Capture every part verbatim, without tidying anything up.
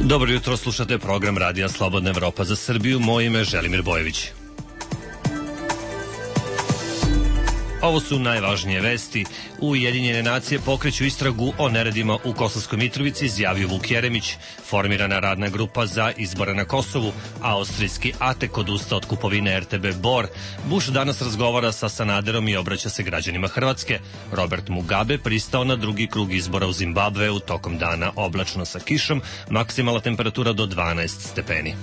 Dobro jutro, slušate program Radija Slobodna Evropa za Srbiju. Moje ime je Želimir Bojević. Ovo su najvažnije vesti. Ujedinjene nacije pokreću istragu o neredima u Kosovskoj Mitrovici, izjavio Vuk Jeremić. Formirana radna grupa za izbore na Kosovu. Austrijski Atek odustao od kupovine er te be Bor. Bush danas razgovara sa Sanaderom i obraća se građanima Hrvatske. Robert Mugabe pristao na drugi krug izbora u Zimbabveu, tokom dana oblačno sa kišom, maksimalna temperatura do dvanaest stepeni.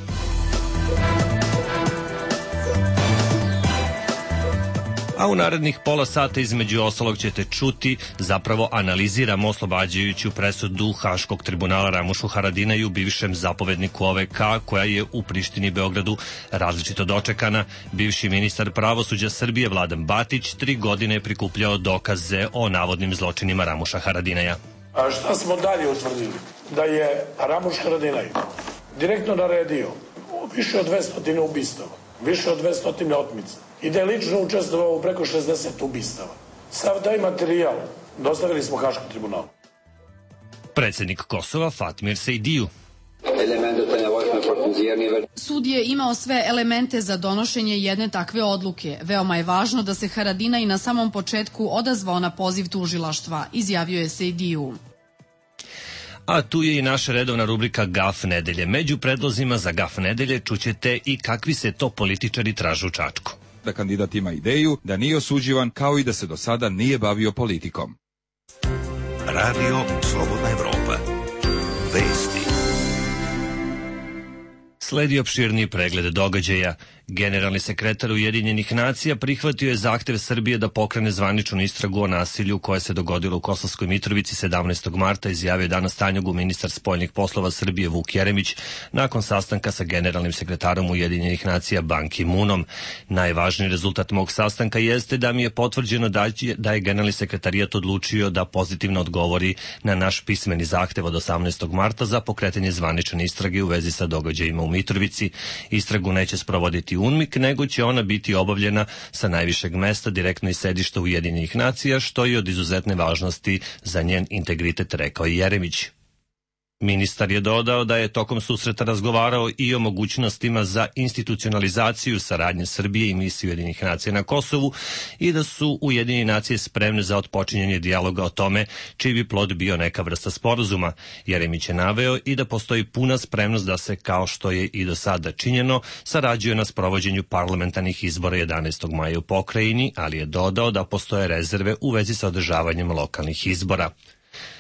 A u narednih pola sata između ostalog ćete čuti, zapravo analiziramo oslobađajuću presudu Haškog tribunala Ramušu Haradinaju, bivšem zapovedniku O V K, koja je u Prištini i Beogradu različito dočekana. Bivši ministar pravosuđa Srbije Vladan Batić tri godine je prikupljao dokaze o navodnim zločinima Ramuša Haradinaja. A šta smo dalje utvrdili? Da je Ramuš Haradinaj direktno naredio više od dvesta ubistava, više od dvesta otmica i da je lično učestvovao u preko šezdeset ubistava. Sav taj materijal dostavili smo Haškom tribunalu. Predsednik Kosova Fatmir Sejdiju. Sud je imao sve elemente za donošenje jedne takve odluke. Veoma je važno da se Haradinaj na samom početku odazvao na poziv tužilaštva, izjavio je Sejdiju. A tu je i naša redovna rubrika Gaf nedelje. Među predlozima za Gaf nedelje čućete i kakvi se to političari traže u Čačku. Da kandidat ima ideju, da nije osuđivan, kao i da se do sada nije bavio politikom. Radio Slobodna Evropa. Vesti. Sledi opširniji pregled događaja. Generalni sekretar Ujedinjenih nacija prihvatio je zahtev Srbije da pokrene zvaničnu istragu o nasilju koje se dogodilo u Kosovskoj Mitrovici sedamnaestog marta, izjavio danas Tanjugu ministar spoljnih poslova Srbije Vuk Jeremić nakon sastanka sa generalnim sekretarom Ujedinjenih nacija Ban Ki-moonom. Najvažniji rezultat mog sastanka jeste da mi je potvrđeno da je generalni sekretarijat odlučio da pozitivno odgovori na naš pismeni zahtev od osamnaestog marta za pokretanje zvanične istrage u vezi sa događajima u Mitrovici. Istragu neće sprovoditi U N M I K, nego će ona biti obavljena sa najvišeg mesta, direktno iz sedišta Ujedinjenih nacija, što je od izuzetne važnosti za njen integritet, rekao je Jeremić. Ministar je dodao da je tokom susreta razgovarao i o mogućnostima za institucionalizaciju saradnje Srbije i misije Ujedinjenih nacija na Kosovu i da su Ujedinjene nacije spremne za otpočinjanje dijaloga o tome čiji bi plod bio neka vrsta sporazuma. Jeremić je naveo i da postoji puna spremnost da se, kao što je i do sada činjeno, sarađuje na sprovođenju parlamentarnih izbora jedanaestog maja u pokrajini, ali je dodao da postoje rezerve u vezi sa održavanjem lokalnih izbora.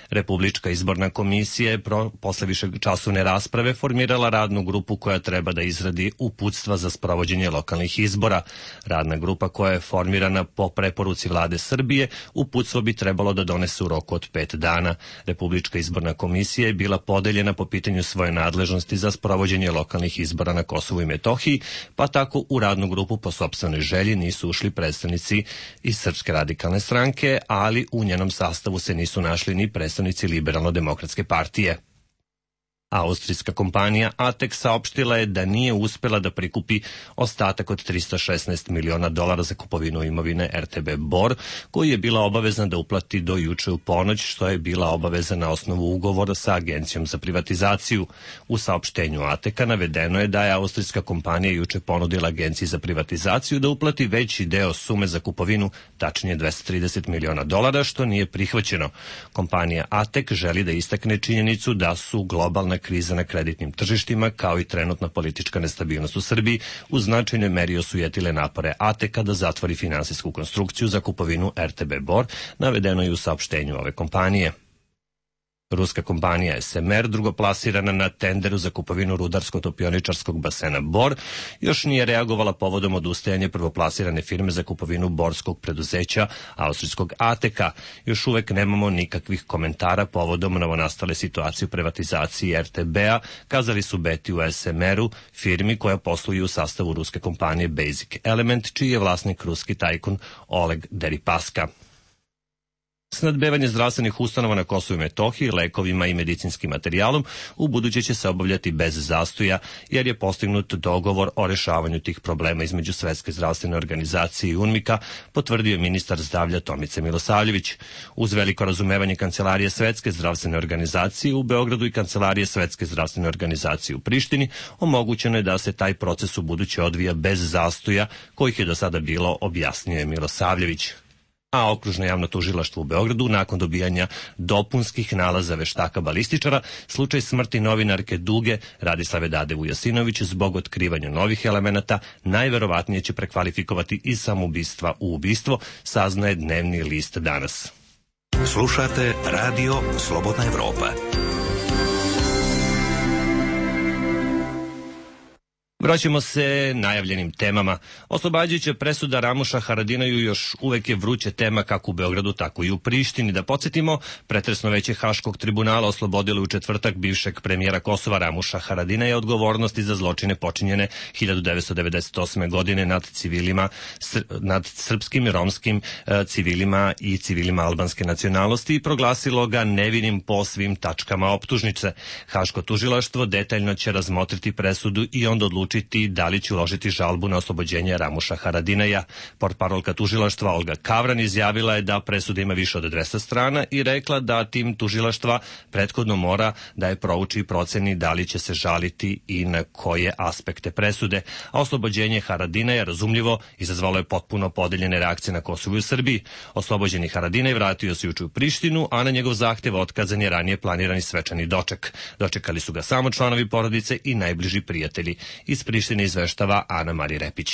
Republička izborna komisija je pro, posle višečasovne rasprave formirala radnu grupu koja treba da izradi uputstva za sprovođenje lokalnih izbora. Radna grupa koja je formirana po preporuci vlade Srbije, uputstvo bi trebalo da donese u roku od pet dana. Republička izborna komisija je bila podeljena po pitanju svoje nadležnosti za sprovođenje lokalnih izbora na Kosovu i Metohiji, pa tako u radnu grupu po sopstvenoj želji nisu ušli predstavnici iz Srpske radikalne stranke, ali u njenom sastavu se nisu našli ni predstavnici Liberalno-demokratske partije. Austrijska kompanija Atek saopštila je da nije uspela da prikupi ostatak od trista šesnaest miliona dolara za kupovinu imovine er te be Bor, koji je bila obavezna da uplati do juče u ponoć, što je bila obaveza na osnovu ugovora sa Agencijom za privatizaciju. U saopštenju Ateka navedeno je da je austrijska kompanija juče ponudila Agenciji za privatizaciju da uplati veći deo sume za kupovinu, tačnije dvesta trideset miliona dolara, što nije prihvaćeno. Kompanija Atek želi da istakne činjenicu da su globalna kriza na kreditnim tržištima, kao i trenutna politička nestabilnost u Srbiji, u značajnoj meri osujetile napore Ateka da zatvori finansijsku konstrukciju za kupovinu er te be Bor, navedeno je u saopštenju ove kompanije. Ruska kompanija es em er, drugoplasirana na tenderu za kupovinu rudarsko-topioničarskog basena Bor, još nije reagovala povodom odustajanja prvoplasirane firme za kupovinu borskog preduzeća austrijskog Ateka. Još uvek nemamo nikakvih komentara povodom novonastale situacije u privatizaciji er te be-a, kazali su Beti u es em er-u, firmi koja posluje u sastavu ruske kompanije Basic Element, čiji je vlasnik ruski tajkun Oleg Deripaska. Snadbevanje zdravstvenih ustanova na Kosovu i Metohiji lekovima i medicinskim materijalom u buduće će se obavljati bez zastoja, jer je postignut dogovor o rešavanju tih problema između Svetske zdravstvene organizacije i UNMIK-a, potvrdio ministar zdravlja Tomica Milosavljević. Uz veliko razumevanje Kancelarije Svetske zdravstvene organizacije u Beogradu i Kancelarije Svetske zdravstvene organizacije u Prištini, omogućeno je da se taj proces u buduće odvija bez zastoja, kojih je do sada bilo, objasnio je Milosavljević. A Okružno javno tužilaštvo u Beogradu, nakon dobijanja dopunskih nalaza veštaka balističara, slučaj smrti novinarke Duge Radislave Dade Vujasinović zbog otkrivanja novih elemenata najverovatnije će prekvalifikovati iz samoubistva u ubistvo, saznaje dnevni list Danas. Slušate Radio Slobodna Evropa. Vraćamo se najavljenim temama. Oslobađajuća presuda Ramuša Haradinaju još uvek je vruća tema kako u Beogradu, tako i u Prištini. Da podsjetimo, pretresno veće Haškog tribunala oslobodilo u četvrtak bivšeg premijera Kosova Ramuša Haradinaja odgovornosti za zločine počinjene hiljadu devetsto devedeset osme. godine nad civilima, nad srpskim, romskim civilima i civilima albanske nacionalnosti i proglasilo ga nevinim po svim tačkama optužnice. Haško tužilaštvo detaljno će razmotriti presudu i onda odlučiti da li će uložiti žalbu na oslobođenje Ramuša Haradinaja. Portparolka tužilaštva Olga Kavran izjavila je da presuda ima više od dvesta strana i rekla da tim tužilaštva prethodno mora da je prouči i proceni da li će se žaliti i na koje aspekte presude. A oslobođenje Haradinaja, razumljivo, izazvalo je potpuno podeljene reakcije na Kosovu i u Srbiji. Oslobođeni Haradinaj vratio se juče u Prištinu, a na njegov zahtev otkazan je ranije planirani svečani doček. Dočekali su ga samo članovi porodice i najbliži prijatelji. Iz Prištine izveštava Ana Marija Repić.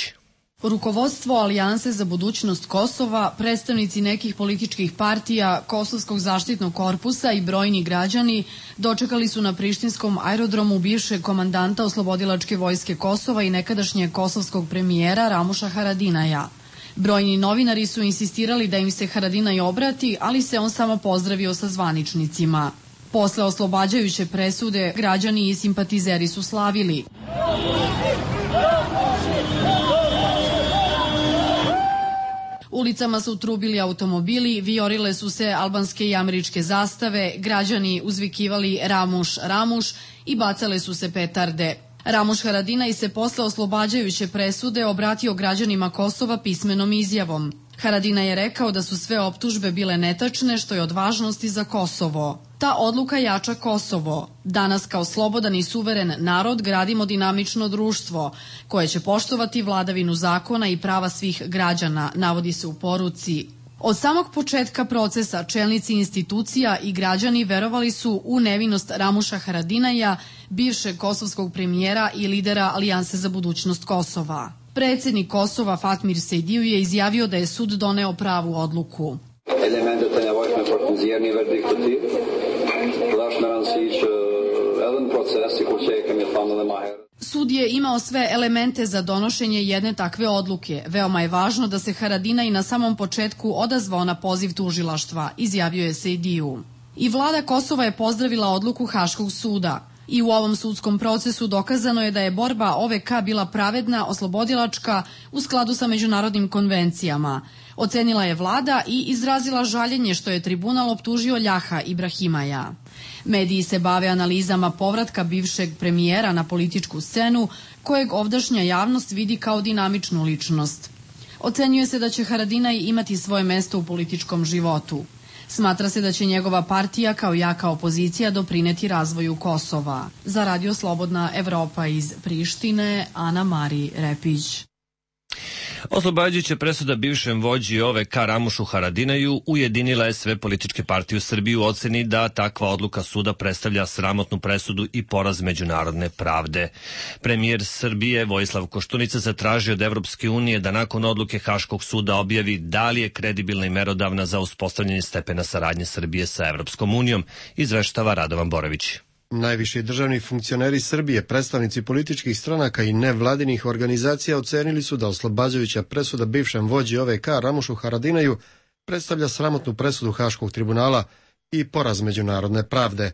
Rukovodstvo Alijanse za budućnost Kosova, predstavnici nekih političkih partija, Kosovskog zaštitnog korpusa i brojni građani dočekali su na prištinskom aerodromu bivšeg komandanta Oslobodilačke vojske Kosova i nekadašnjeg kosovskog premijera Ramuša Haradinaja. Brojni novinari su insistirali da im se Haradinaj obrati, ali se on samo pozdravio sa zvaničnicima. Posle oslobađajuće presude, građani i simpatizeri su slavili. Ulicama su trubili automobili, vijorile su se albanske i američke zastave, građani uzvikivali Ramuš, Ramuš i bacale su se petarde. Ramuš Haradinaj se posle oslobađajuće presude obratio građanima Kosova pismenom izjavom. Haradinaj je rekao da su sve optužbe bile netačne, što je od važnosti za Kosovo. Ta odluka jača Kosovo. Danas kao slobodan i suveren narod gradimo dinamično društvo koje će poštovati vladavinu zakona i prava svih građana, navodi se u poruci. Od samog početka procesa čelnici institucija i građani verovali su u nevinost Ramuša Haradinaja, bivšeg kosovskog premijera i lidera Alijanse za budućnost Kosova. Predsednik Kosova Fatmir Sejdiju je izjavio da je sud doneo pravu odluku. Sud je imao sve elemente za donošenje jedne takve odluke. Veoma je važno da se Haradinaj na samom početku odazvao na poziv tužilaštva, izjavio je Sejdiju. I vlada Kosova je pozdravila odluku Haškog suda. I u ovom sudskom procesu dokazano je da je borba O V K bila pravedna, oslobodilačka, u skladu sa međunarodnim konvencijama. Ocenila je vlada i izrazila žaljenje što je tribunal optužio Ljaha Ibrahimaja. Mediji se bave analizama povratka bivšeg premijera na političku scenu, kojeg ovdašnja javnost vidi kao dinamičnu ličnost. Ocenjuje se da će Haradinaj imati svoje mesto u političkom životu. Smatra se da će njegova partija kao jaka opozicija doprineti razvoju Kosova. Za Radio Slobodna Evropa iz Prištine, Ana Marija Repić. Oslobađajuća presuda bivšem vođi O V K Ramušu Haradinaju ujedinila je sve političke partije u Srbiji u oceni da takva odluka suda predstavlja sramotnu presudu i poraz međunarodne pravde. Premijer Srbije Vojislav Koštunica zatražio od Evropske unije da nakon odluke Haškog suda objavi da li je kredibilna i merodavna za uspostavljanje stepena saradnje Srbije sa Evropskom unijom, izveštava Radovan Borović. Najviši državni funkcioneri Srbije, predstavnici političkih stranaka i nevladinih organizacija ocenili su da oslobađajuća presuda bivšem vođi O V K Ramušu Haradinaju predstavlja sramotnu presudu Haškog tribunala i poraz međunarodne pravde.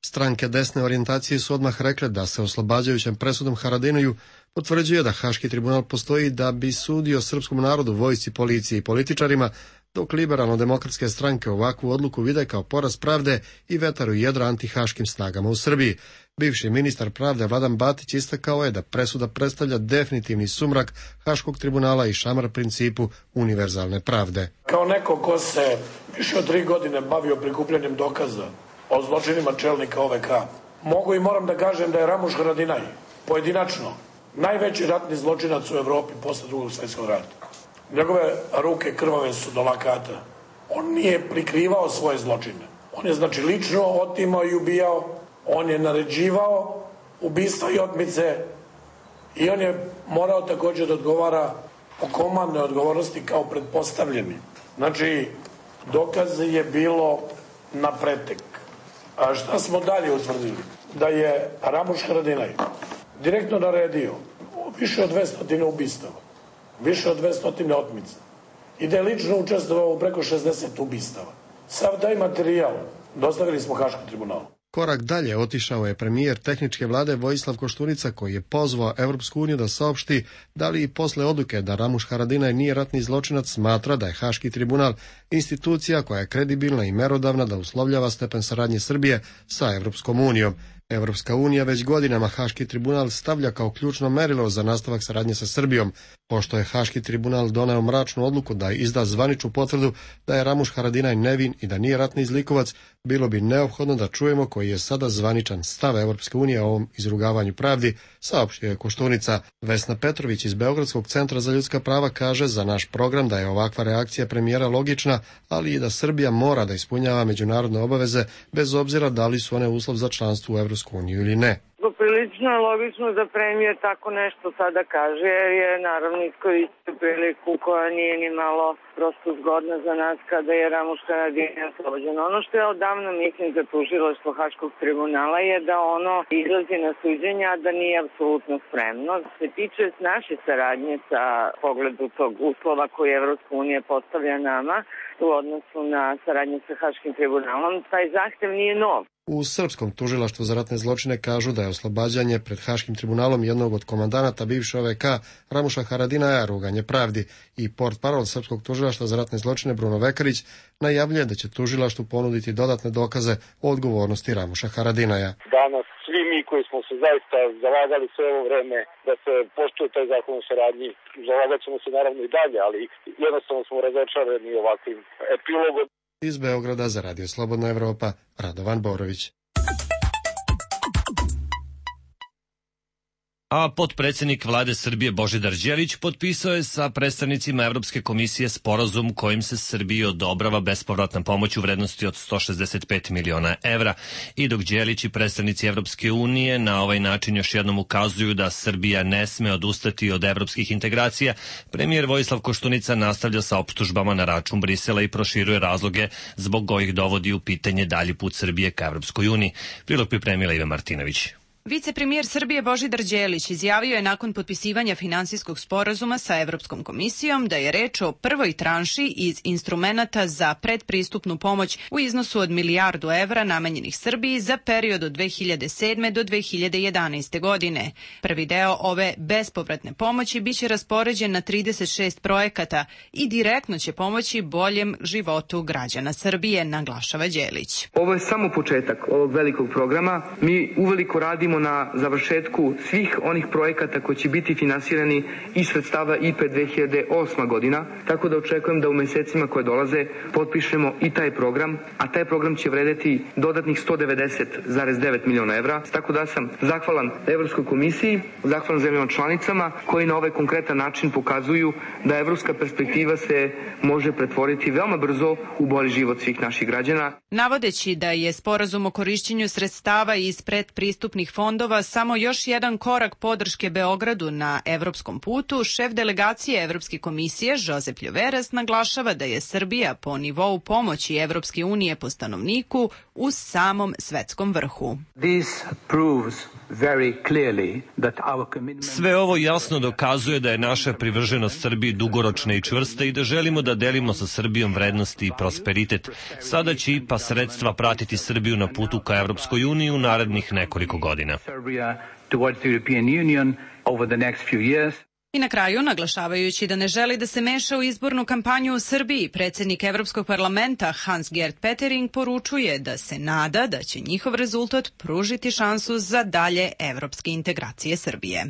Stranke desne orijentacije su odmah rekle da se oslobađajućem presudom Haradinaju potvrđuje da Haški tribunal postoji da bi sudio srpskom narodu, vojsci, policiji i političarima, dok liberalno-demokratske stranke ovakvu odluku vide kao poraz pravde i vetar u jedra antihaškim snagama u Srbiji. Bivši ministar pravde Vladan Batić istakao je da presuda predstavlja definitivni sumrak Haškog tribunala i šamar principu univerzalne pravde. Kao neko ko se više od tri godine bavio prikupljanjem dokaza o zločinima čelnika O V K, mogu i moram da kažem da je Ramuš Haradinaj pojedinačno najveći ratni zločinac u Evropi posle drugog svjetskog rata. Njegove ruke krvave su do lakata. On nije prikrivao svoje zločine. On je znači lično otimao i ubijao, on je naređivao ubistva i otmice i on je morao također da odgovara o komandnoj odgovornosti kao pretpostavljeni. Znači, dokaz je bilo na pretek. A šta smo dalje utvrdili? Da je Ramuš Haradinaj direktno naredio više od dvesta ubistava, više od dvesta otmica i da je lično učestvovao u preko šezdeset ubistava. Sav taj materijal dostavili smo Haškom tribunalu. Korak dalje otišao je premijer tehničke vlade Vojislav Koštunica, koji je pozvao Evropsku uniju da saopšti da li i posle odluke da Ramuš Haradinaj nije ratni zločinac smatra da je Haški tribunal institucija koja je kredibilna i merodavna da uslovljava stepen saradnje Srbije sa Evropskom unijom. Evropska unija već godinama Haški tribunal stavlja kao ključno merilo za nastavak saradnje sa Srbijom. Pošto je Haški tribunal doneo mračnu odluku da izda zvaničnu potvrdu da je Ramuš Haradinaj nevin i da nije ratni zlikovac, bilo bi neophodno da čujemo koji je sada zvaničan stav Evropske unije o ovom izrugavanju pravdi, saopštio je Koštunica. Vesna Petrović iz Beogradskog centra za ljudska prava kaže za naš program da je ovakva reakcija premijera logična, ali i da Srbija mora da ispunjava međunarodne obaveze bez obzira da li su one uslov za članstvo u Evropsku uniju ili ne. Prilično je logično da premijer tako nešto sada kaže, jer je naravno iskoristio priliku koja nije ni malo prosto zgodna za nas kada je Ramuš Haradinaj oslobođen. Ono što je odavno mislim za tužilaštvo Haškog tribunala je da ono izlazi na suđenja, da nije apsolutno spremno. Što se tiče naše saradnje sa pogledu tog uslova koji Evropska unija postavlja nama u odnosu na saradnju sa Haškim tribunalom, taj zahtev nije nov. U Srpskom tužilaštvu za ratne zločine kažu da je oslobađanje pred Haškim tribunalom jednog od komandanata bivše O V K Ramuša Haradinaja ruganje pravdi i portparol Srpskog tužilaštva za ratne zločine Bruno Vekarić najavljuje da će tužilaštvu ponuditi dodatne dokaze o odgovornosti Ramuša Haradinaja. Danas svi mi koji smo se zaista zalagali sve ovo vreme da se poštuje taj zakon o saradnji, zalagat ćemo se naravno i dalje, ali jednostavno smo razočarani ovakvim epilogom. Iz Beograda za Radio Slobodna Evropa, Radovan Borović. A potpredsjednik vlade Srbije Božidar Đelić potpisao je sa predstavnicima Evropske komisije sporazum kojim se Srbiji odobrava bespovratna pomoć u vrednosti od sto šezdeset pet miliona evra. I dok Đelić i predstavnici Evropske unije na ovaj način još jednom ukazuju da Srbija ne sme odustati od evropskih integracija, premijer Vojislav Koštunica nastavlja sa optužbama na račun Brisela i proširuje razloge zbog kojih dovodi u pitanje dalji put Srbije ka Evropskoj uniji. Prilog pripremila Iva Martinović. Vicepremijer Srbije Božidar Đelić izjavio je nakon potpisivanja finansijskog sporazuma sa Evropskom komisijom da je reč o prvoj tranši iz instrumenata za predpristupnu pomoć u iznosu od milijardu evra namenjenih Srbiji za period od dve hiljade sedme do dve hiljade jedanaeste. godine. Prvi deo ove bespovratne pomoći biće raspoređen na trideset šest projekata i direktno će pomoći boljem životu građana Srbije, naglašava Đelić. Ovo je samo početak ovog velikog programa. Mi uveliko radimo na završetku svih onih projekata koji će biti finansirani iz sredstava I P E dve hiljade osma. godina, tako da očekujem da u mesecima koje dolaze potpišemo i taj program, a taj program će vredeti dodatnih sto devedeset zarez devet miliona evra, tako da sam zahvalan Evropskoj komisiji, zahvalan zemljama članicama koji na ovaj konkretan način pokazuju da evropska perspektiva se može pretvoriti veoma brzo u bolji život svih naših građana. Navodeći da je sporazum o korišćenju sredstava iz predpristupnih fondova samo još jedan korak podrške Beogradu na evropskom putu, šef delegacije Evropske komisije Josep Ljoveras naglašava da je Srbija po nivou pomoći Evropske unije po stanovniku u samom svetskom vrhu. Sve ovo jasno dokazuje da je naša privrženost Srbiji dugoročna i čvrsta i da želimo da delimo sa Srbijom vrednosti i prosperitet. Sada će I P A sredstva pratiti Srbiju na putu ka Evropskoj uniji u narednih nekoliko godina. I na kraju, naglašavajući da ne želi da se meša u izbornu kampanju u Srbiji, predsjednik Evropskog parlamenta Hans-Gert Pöttering poručuje da se nada da će njihov rezultat pružiti šansu za dalje evropske integracije Srbije.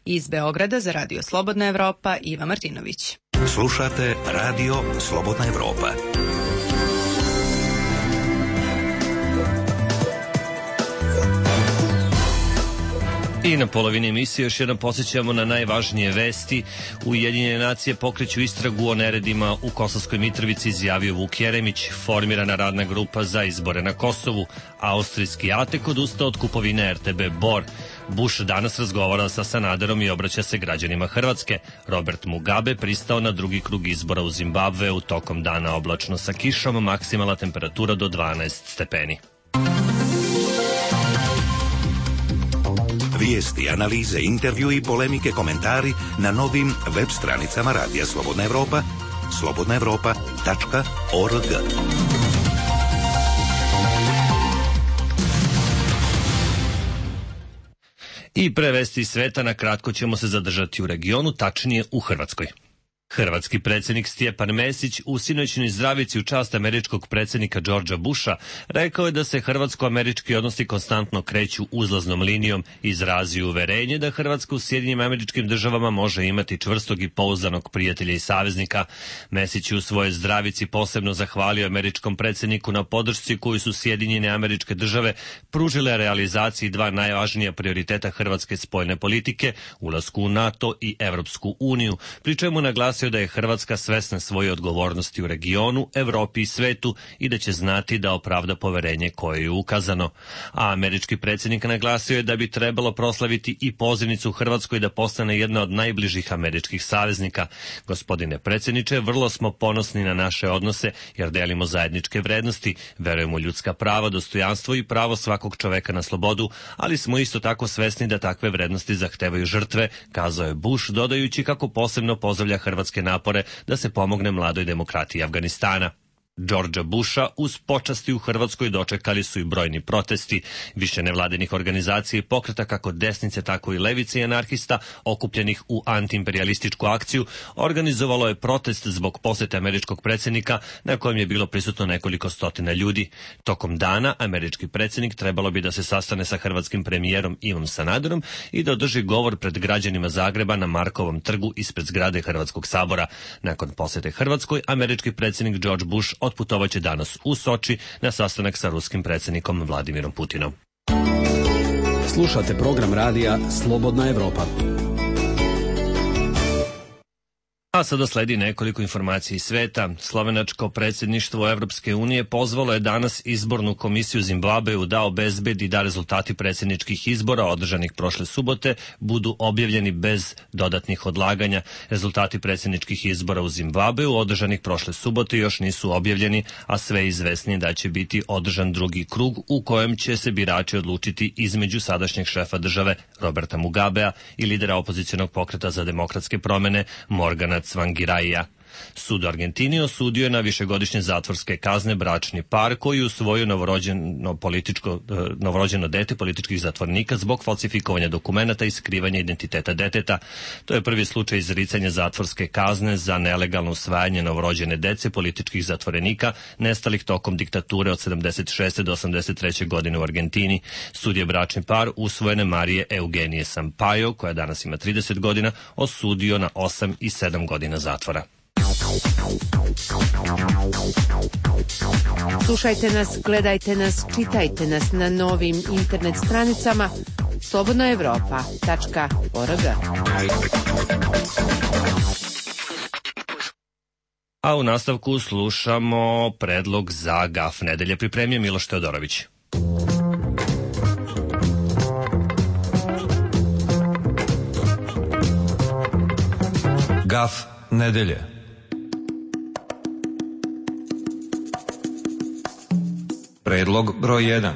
Iz Beograda za Radio Slobodna Evropa, Iva Martinović. Slušate Radio Slobodna Evropa. I na polovini emisije još jednom posjećamo na najvažnije vesti. Ujedinjene nacije pokreću istragu o neredima u Kosovskoj Mitrovici, izjavio Vuk Jeremić. Formirana radna grupa za izbore na Kosovu. Austrijski Atek odustao od kupovine er te be Bor. Bush danas razgovara sa Sanaderom i obraća se građanima Hrvatske. Robert Mugabe pristao na drugi krug izbora u Zimbabveu. Tokom dana oblačno sa kišom, maksimalna temperatura do dvanaest stepeni. Vijesti, analize, intervju i polemike, komentari na novim web stranicama Radija Slobodna Evropa, slobodna evropa tačka org. I pre vesti iz sveta, na kratko ćemo se zadržati u regionu, tačnije u Hrvatskoj. Hrvatski predsjednik Stjepan Mesić u sinoćnoj zdravici u čast američkog predsjednika Georgea Busha rekao je da se hrvatsko-američki odnosi konstantno kreću uzlaznom linijom i izrazio uverenje da Hrvatska u Sjedinjenim Američkim Državama može imati čvrstog i pouzdanog prijatelja i saveznika. Mesić je u svojoj zdravici posebno zahvalio američkom predsjedniku na podršci koju su Sjedinjene Američke Države pružile realizaciji dva najvažnija prioriteta hrvatske spoljne politike, ulasku u NATO i Evropsku uniju, pri čemu naglasio da je Hrvatska svesna svoje odgovornosti u regionu, Evropi i svetu i da će znati da opravda poverenje koje je ukazano. A američki predsjednik naglasio je da bi trebalo proslaviti i pozivnicu u Hrvatskoj da postane jedna od najbližih američkih saveznika. Gospodine predsjedniče, vrlo smo ponosni na naše odnose jer delimo zajedničke vrednosti, verujemo u ljudska prava, dostojanstvo i pravo svakog čoveka na slobodu, ali smo isto tako svesni da takve vrednosti zahtevaju žrtve, kazao je Bush, dodajući kako posebno pozdravlja hrvatske napore da se pomogne mladoj demokratiji Afganistana. Georgea Busha uz počasti u Hrvatskoj dočekali su i brojni protesti. Više nevladinih organizacija i pokreta kako desnice, tako i levice i anarhista okupljenih u antiimperialističku akciju organizovalo je protest zbog posete američkog predsjednika na kojem je bilo prisutno nekoliko stotina ljudi. Tokom dana američki predsjednik trebalo bi da se sastane sa hrvatskim premijerom Ivom Sanaderom i da održi govor pred građanima Zagreba na Markovom trgu ispred zgrade Hrvatskog sabora. Nakon posete Hrvatskoj, američki predsjednik George Bush otputovaće danas u Soči na sastanak sa ruskim predsjednikom Vladimirom Putinom. Slušate program radija Slobodna Evropa. A sada sledi nekoliko informacija iz sveta. Slovenačko predsjedništvo Evropske unije pozvalo je danas izbornu komisiju Zimbabveu da obezbedi da rezultati predsjedničkih izbora održanih prošle subote budu objavljeni bez dodatnih odlaganja. Rezultati predsjedničkih izbora u Zimbabveu održanih prošle subote još nisu objavljeni, a sve je izvesnije da će biti održan drugi krug u kojem će se birači odlučiti između sadašnjeg šefa države Roberta Mugabea i lidera opozicionog pokreta za demokratske promjene Morgana Tsvangiraija. Sud u Argentini osudio je na višegodišnje zatvorske kazne bračni par koji usvojio novorođeno, političko, novorođeno dete političkih zatvornika zbog falsifikovanja dokumenata i skrivanja identiteta deteta. To je prvi slučaj izricanja zatvorske kazne za nelegalno usvajanje novorođene dece političkih zatvorenika nestalih tokom diktature od sedamdeset šeste do osamdeset treće godine u Argentini. Sud je bračni par usvojene Marije Eugenije Sampaio, koja danas ima trideset godina, osudio na osam i sedam godina zatvora. Slušajte nas, gledajte nas, čitajte nas na novim internet stranicama slobodna evropa tačka org. A u nastavku slušamo predlog za gaf nedelje. Pripremio Miloš Teodorović. Gaf nedelje. Predlog broj jedan.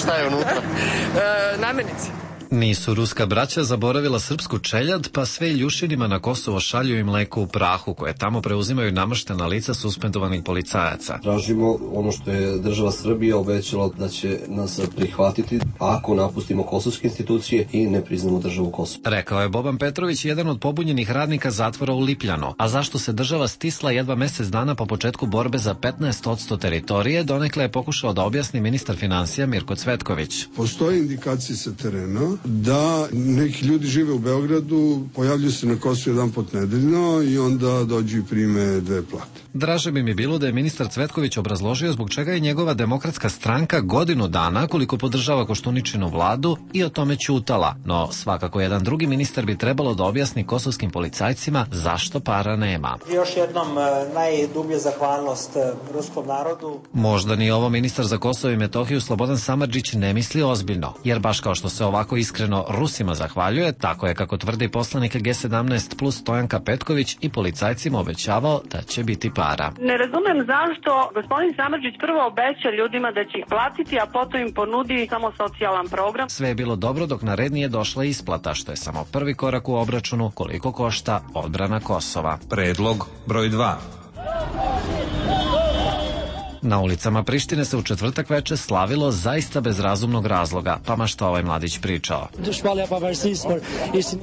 Šta je unutra? e, namirnice. Nisu ruska braća zaboravila srpsku čeljad, pa sve Iljušinima na Kosovo šalju i mleko u prahu, koje tamo preuzimaju namaštena lica suspendovanih policajaca. Tražimo ono što je država Srbija obećala da će nas prihvatiti ako napustimo kosovske institucije i ne priznamo državu Kosovo. Rekao je Boban Petrović, jedan od pobunjenih radnika zatvora u Lipljanu. A zašto se država stisla jedva mesec dana po početku borbe za petnaest posto teritorije, donekle je pokušao da objasni ministar finansija Mirko Cvetković. Postoje indikacije sa terena da neki ljudi žive u Beogradu, pojavljuju se na Kosovu jedan pot nedeljno i onda dođu i prime dve plate. Draže bi mi bilo da je ministar Cvetković obrazložio zbog čega je njegova Demokratska stranka godinu dana, koliko podržava Koštuničinu vladu, i o tome ćutala. No svakako jedan drugi ministar bi trebalo da objasni kosovskim policajcima zašto para nema. Još jednom najdublje zahvalnost ruskom narodu. Možda ni ovo ministar za Kosovo i Metohiju Slobodan Samardžić ne misli ozbiljno, jer baš kao što se ovako iskreno Rusima zahvaljuje, tako je, kako tvrdi poslanik G sedamnaest plus Stojanka Petković, i policajcima obećavao da će biti para. Ne razumem zašto gospodin Samardžić prvo obeća ljudima da će ih platiti, a potom im ponudi samo socijalan program. Sve je bilo dobro dok na red nije došla isplata, što je samo prvi korak u obračunu koliko košta odbrana Kosova. Predlog broj dva. Na ulicama Prištine se u četvrtak veče slavilo zaista bez razumnog razloga, pa ma šta ovaj mladić pričao.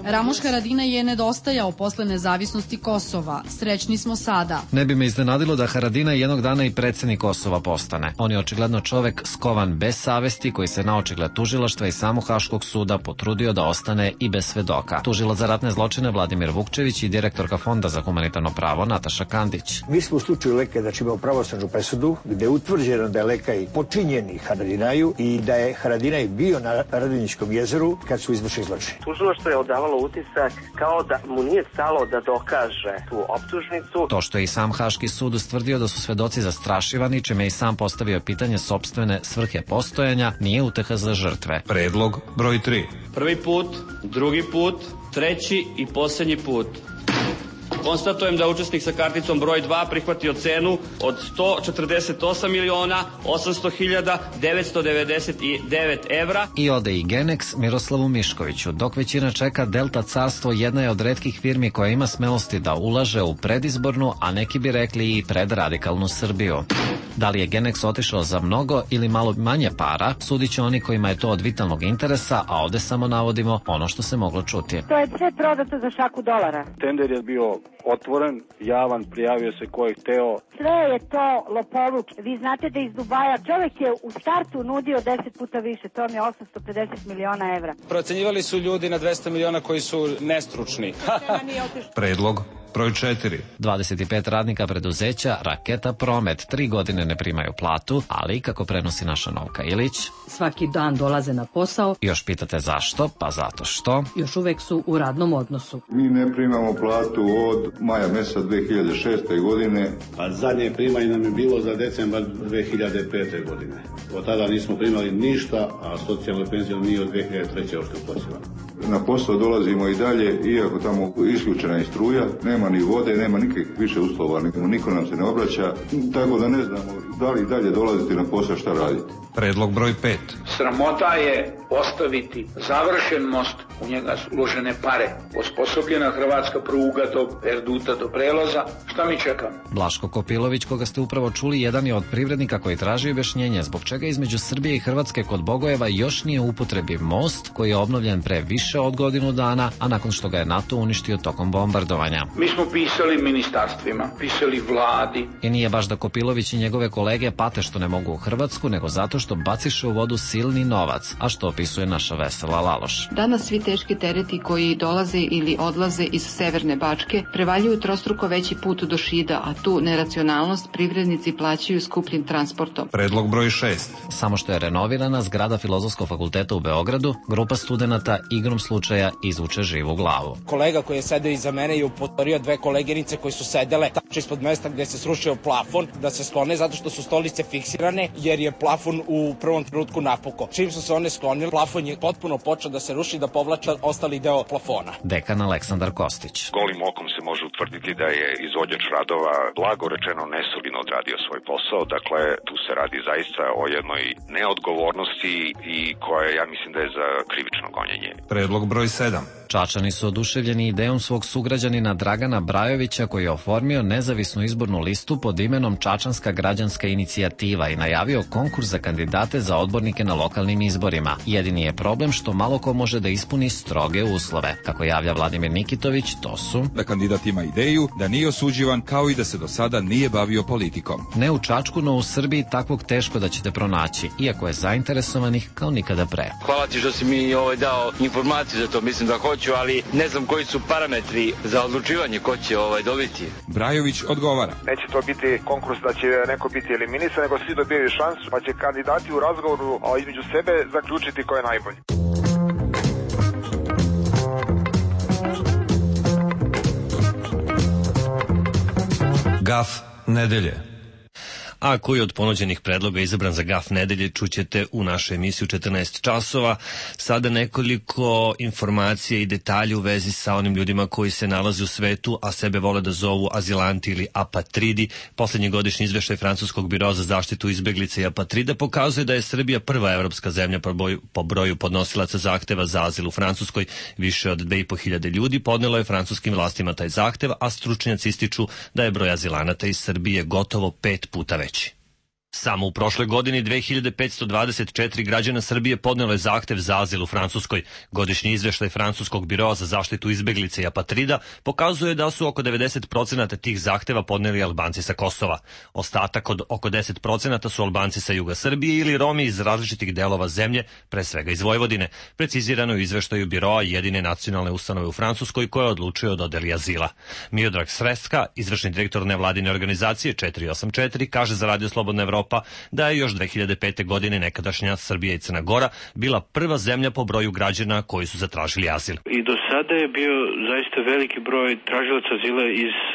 Ramuš Haradinaj je nedostajao posle nezavisnosti Kosova. Srećni smo sada. Ne bi me iznenadilo da Haradinaj jednog dana i predsjednik Kosova postane. On je očigledno čovek skovan bez savesti, koji se na očigled tužilaštva i samog Haškog suda potrudio da ostane i bez svedoka. Tužilac za ratne zločine Vladimir Vukčević i direktorka Fonda za humanitarno pravo Nataša Kandić. Mi smo u slučaju Leke, znači imamo pravosnažnu presudu, gde je utvrđeno da je Lekaj počinjeni Haradinaju i da je Haradinaj bio na Radonjičkom jezeru kad su izvršili zločine. Tužilaštvo je odavalo utisak kao da mu nije stalo da dokaže tu optužnicu. To što je i sam Haški sud ustvrdio da su svedoci zastrašivani, čime je i sam postavio pitanje sopstvene svrhe postojanja, nije uteha za žrtve. Predlog broj tri. Prvi put, drugi put, treći i posljednji put. Konstatujem da učesnik sa karticom broj dva prihvatio cenu od sto četrdeset osam miliona osamsto hiljada devetsto devedeset devet evra. I ode i Genex Miroslavu Miškoviću. Dok većina čeka, Delta Carstvo jedna je od retkih firmi koja ima smelosti da ulaže u predizbornu, a neki bi rekli i predradikalnu Srbiju. Da li je Genex otišao za mnogo ili malo manje para, sudit će oni kojima je to od vitalnog interesa, a ovde samo navodimo ono što se moglo čuti. To je sve prodato za šaku dolara. Tender je bio otvoren, javan, prijavio se ko je hteo. Sve je to lopovluk. Vi znate da iz Dubaja čovjek je u startu nudio deset puta više, to mi je osamsto pedeset miliona evra. Procenjivali su ljudi na dvesta miliona koji su nestručni. Predlog broj četiri. dvadeset pet radnika preduzeća Raketa Promet tri godine ne primaju platu, ali kako prenosi naša Novka Ilić, svaki dan dolaze na posao. Još pitate zašto? Pa zato što još uvek su u radnom odnosu. Mi ne primamo platu od maja meseca dve hiljade šeste. godine. A zadnje primanje nam je bilo za decembar dve hiljade pete. godine. Od tada nismo primali ništa, a socijalnu penziju nije od dve hiljade treće. ošte uplaćivano. Na posao dolazimo i dalje, iako tamo isključena je struja, nema ni vode, nema nikakvih više uslova, niko nam se ne obraća, tako da ne znamo da li dalje dolaziti na posao, šta raditi. Predlog broj pet. Sramota je ostaviti završen most, u njega su uložene pare, osposobljena hrvatska pruga do Erduta do prelaza, šta mi čekamo? Blaško Kopilović, koga ste upravo čuli, jedan je od privrednika koji traži objašnjenje zbog čega između Srbije i Hrvatske kod Bogojeva još nije u upotrebi most koji je obnovljen pre više od godinu dana, a nakon što ga je NATO uništio tokom bombardovanja. Mi smo pisali ministarstvima, pisali vladi. I nije baš da Kopilović i njegove kolege pate što ne mogu u Hrvatsku, nego zato što baciše u vodu silni novac, a što opisuje naša Vesela Laloš. Danas svi teški tereti koji dolaze ili odlaze iz Severne Bačke prevaljuju trostruko veći put do Šida, a tu neracionalnost privrednici plaćaju skupljim transportom. Predlog broj šest. Samo što je renovirana zgrada Filozofskog fakulteta u Beogradu, grupa studenata igrom slučaja izvuče živu glavu. Kolega koji je sedeo iza mene je upozorio dve koleginice koji su sedele tačno ispod mesta gde se srušio plafon da se sklone zato što su stolice fiksirane jer je plafon u prvom trenutku napukao. Čim su se one sklonile, plafon je potpuno počeo da se ruši, da povlači povlača ostali deo plafona. Dekan Aleksandar Kostić. Golim okom se može utvrditi da je izvođač radova blago rečeno nesolidno odradio svoj posao. Dakle, tu se radi zaista o jednoj neodgovornosti i koja ja mislim da je za krivično gonjenje. Predlog broj sedam. Čačani su oduševljeni idejom svog sugrađanina Dragana Brajovića koji je oformio nezavisnu izbornu listu pod imenom Čačanska građanska inicijativa i najavio konkurs za kandidate za odbornike na lokalnim izborima. Jedini je problem što malo ko može da ispuni stroge uslove. Kako javlja Vladimir Nikitović, to su da kandidat ima ideju, da nije osuđivan, kao i da se do sada nije bavio politikom. Ne u Čačku, no u Srbiji takvog teško da ćete pronaći, iako je zainteresovanih kao nikada pre. Hvala ti što si mi ovaj dao informaciju za to, mislim da hoću, ali ne znam koji su parametri za odlučivanje ko će ovaj dobiti. Brajović odgovara. Neće to biti konkurs da će neko biti eliminisan, nego svi dobijaju šansu, pa će kandidati u razgovoru a, između sebe zaključiti ko je najbolji. Gaf nedelje. A koji od ponuđenih predloga izabran za gaf nedelje čućete u našoj emisiji u četrnaest časova. Sada nekoliko informacija i detalja u vezi sa onim ljudima koji se nalaze u svetu, a sebe vole da zovu azilanti ili apatridi. Poslednji godišnji izveštaj Francuskog biroa za zaštitu izbeglica i apatrida pokazuje da je Srbija prva evropska zemlja po broju, po broju podnosilaca zahteva za azil u Francuskoj. Više od dve i po hiljade ljudi podnelo je francuskim vlastima taj zahtev, a stručnjaci ističu da je broj azilanata iz Srbije gotovo pet puta veći. Samo u prošloj godini dve hiljade petsto dvadeset četiri građana Srbije podnelo je zahtev za azil u Francuskoj. Godišnji izveštaj Francuskog biroa za zaštitu izbeglica i apatrida pokazuje da su oko devedeset procenata tih zahteva podneli Albanci sa Kosova. Ostatak od oko deset procenata su Albanci sa juga Srbije ili Romi iz različitih delova zemlje, pre svega iz Vojvodine. Precizirano je u izveštaju biroa jedine nacionalne ustanove u Francuskoj koja odlučuje o dodeli azila. Miodrag Sreska, izvršni direktor nevladine organizacije četiri osam četiri, kaže za Radio Slobodna Evropa da je još dve hiljade pete. godine nekadašnja Srbija i Crna Gora bila prva zemlja po broju građana koji su zatražili azil. I do sada je bio zaista veliki broj tražilaca azila iz e,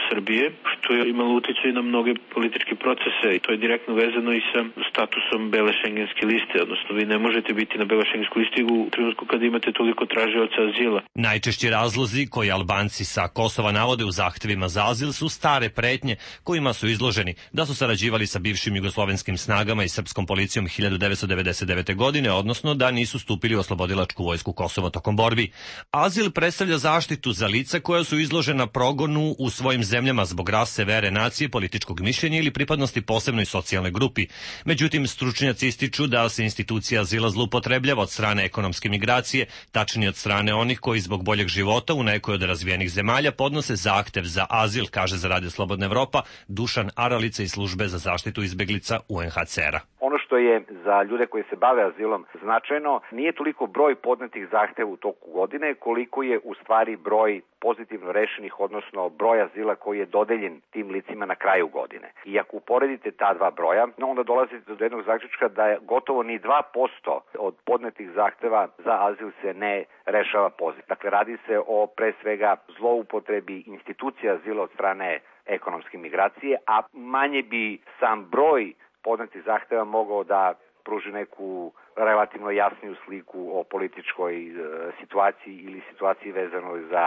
Srbije, što je imalo utjecaj na mnoge političke procese i to je direktno vezano i sa statusom bele šengenske liste, odnosno vi ne možete biti na bele šengenskoj listi u trenutku kad imate toliko tražilaca azila. Najčešći razlozi koji Albanci sa Kosova navode u zahtevima za azil su stare pretnje kojima su izloženi, da su sarađivali sa bivšim jugoslovenskim snagama i srpskom policijom hiljadu devetsto devedeset devete. godine, odnosno da nisu stupili u oslobodilačku vojsku Kosova tokom borbi. Azil predstavlja zaštitu za lica koja su izložena progonu u svojim zemljama zbog rase, vere, nacije, političkog mišljenja ili pripadnosti posebnoj socijalnoj grupi. Međutim, stručnjaci ističu da se institucija azila zloupotrebljava od strane ekonomske migracije, tačnije od strane onih koji zbog boljeg života u nekoj od razvijenih zemalja podnose zahtev za azil, kaže za Radio Slobodna Evropa Dušan Aralica iz službe za zaštitu izbeglica U N H C R-a. Ono što je za ljude koji se bave azilom značajno nije toliko broj podnetih zahteva u toku godine, koliko je u stvari broj pozitivno rešenih, odnosno broj azila koji je dodeljen tim licima na kraju godine. I ako uporedite ta dva broja, onda dolazite do jednog zaključka da je gotovo ni dva posto od podnetih zahteva za azil se ne rešava pozitivno. Dakle, radi se o pre svega zloupotrebi institucija azila od strane ekonomske migracije, a manje bi sam broj podnetih zahteva mogao da pruži neku relativno jasniju sliku o političkoj e, situaciji ili situaciji vezanoj za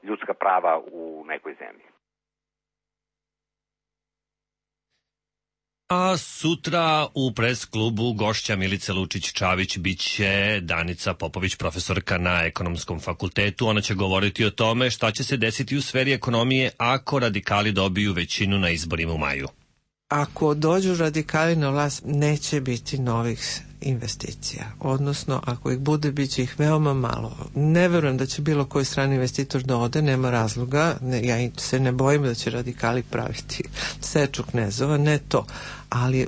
ljudska prava u nekoj zemlji. A sutra u pres klubu gošća Milice Lučić-Čavić biće Danica Popović, profesorka na Ekonomskom fakultetu. Ona će govoriti o tome šta će se desiti u sferi ekonomije ako radikali dobiju većinu na izborima u maju. Ako dođu radikali na vlast, neće biti novih investicija. Odnosno, ako ih bude, bit će ih veoma malo. Ne verujem da će bilo koji strani investitor da ode, nema razloga. Ne, ja se ne bojim da će radikali praviti seču knezova, ne to. Ali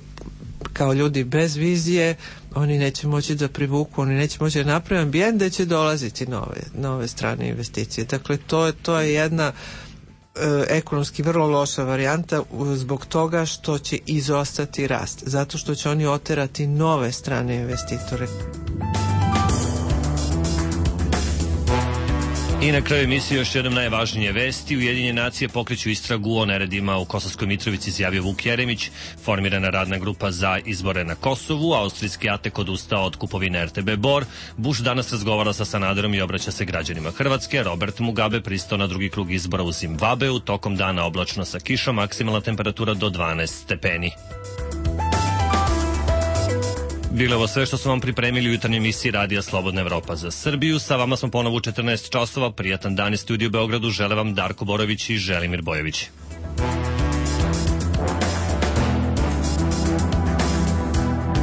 kao ljudi bez vizije, oni neće moći da privuku, oni neće moći da naprave ambijent da će dolaziti nove, nove strane investicije. Dakle, to je, to je jedna ekonomski vrlo loša varijanta zbog toga što će izostati rast, zato što će oni oterati nove strane investitore. I na kraju emisije još jednom najvažnije vesti. Ujedinjene nacije pokreću istragu o neredima u Kosovskoj Mitrovici, izjavio Vuk Jeremić. Formirana radna grupa za izbore na Kosovu. Austrijski Atek odustao od kupovine er te be Bor. Bush danas razgovara sa Sanaderom i obraća se građanima Hrvatske. Robert Mugabe pristao na drugi krug izbora u Zimbabveu. Tokom dana oblačno sa kišom, maksimalna temperatura do dvanaest stepeni. Bilo je ovo sve što smo vam pripremili u jutarnjoj emisiji Radija Slobodna Evropa za Srbiju. Sa vama smo ponovo u četrnaest časova. Prijatan dan iz studiju u Beogradu. Žele vam Darko Borović i Želimir Bojović.